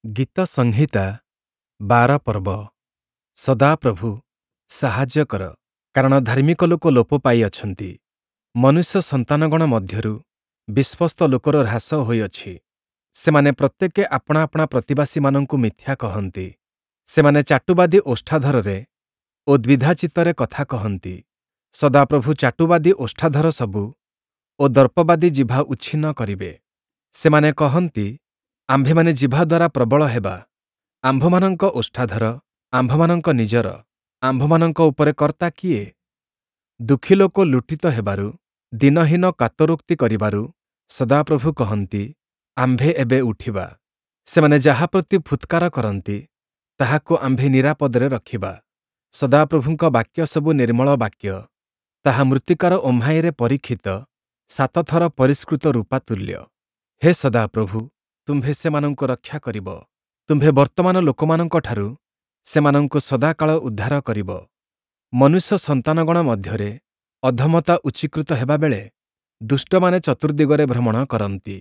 ଗୀତସଂହିତା 12 ପର୍ବ। ସଦାପ୍ରଭୁ, ସାହାଯ୍ୟ କର, କାରଣ ଧାର୍ମିକ ଲୋକ ଲୋପ ପାଇଅଛନ୍ତି, ମନୁଷ୍ୟ ସନ୍ତାନଗଣ ମଧ୍ୟରୁ ବିଶ୍ୱସ୍ତ ଲୋକର ହ୍ରାସ ହୋଇଅଛି। ସେମାନେ ପ୍ରତ୍ୟେକେ ଆପଣା ଆପଣା ପ୍ରତିବାସୀମାନଙ୍କୁ ମିଥ୍ୟା କହନ୍ତି। ସେମାନେ ଚାଟୁବାଦୀ ଓଷ୍ଠାଧରରେ ଓ ଦ୍ୱିଧାଚିତ୍ତରେ କଥା କହନ୍ତି। ସଦାପ୍ରଭୁ ଚାଟୁବାଦୀ ଓଷ୍ଠାଧର ସବୁ ଓ ଦର୍ପବାଦୀ ଜିଭା ଉଚ୍ଛିନ୍ନ କରିବେ। ସେମାନେ କହନ୍ତି, ଆମ୍ଭେମାନେ ଜିଭା ଦ୍ୱାରା ପ୍ରବଳ ହେବା, ଆମ୍ଭମାନଙ୍କ ଓଷ୍ଠାଧର ଆମ୍ଭମାନଙ୍କ ନିଜର, ଆମ୍ଭମାନଙ୍କ ଉପରେ କର୍ତ୍ତା କିଏ? ଦୁଃଖୀ ଲୋକ ଲୁଣ୍ଠିତ ହେବାରୁ, ଦୀନହୀନ କାତରୋକ୍ତି କରିବାରୁ ସଦାପ୍ରଭୁ କହନ୍ତି, ଆମ୍ଭେ ଏବେ ଉଠିବା। ସେମାନେ ଯାହା ପ୍ରତି ଫୁତ୍କାର କରନ୍ତି, ତାହାକୁ ଆମ୍ଭେ ନିରାପଦରେ ରଖିବା। ସଦାପ୍ରଭୁଙ୍କ ବାକ୍ୟ ସବୁ ନିର୍ମଳ ବାକ୍ୟ, ତାହା ମୃତ୍ତିକାର ଓହ୍ମାଇରେ ପରୀକ୍ଷିତ ସାତଥର ପରିଷ୍କୃତ ରୂପା ତୁଲ୍ୟ। ହେ ସଦାପ୍ରଭୁ, ତୁମ୍ଭେ ସେମାନଙ୍କୁ ରକ୍ଷା କରିବ, ତୁମ୍ଭେ ବର୍ତ୍ତମାନ ଲୋକମାନଙ୍କଠାରୁ ସେମାନଙ୍କୁ ସଦାକାଳ ଉଦ୍ଧାର କରିବ। ମନୁଷ୍ୟ ସନ୍ତାନଗଣ ମଧ୍ୟରେ ଅଧମତା ଉଚ୍ଚୀକୃତ ହେବାବେଳେ ଦୁଷ୍ଟମାନେ ଚତୁର୍ଦ୍ଦିଗରେ ଭ୍ରମଣ କରନ୍ତି।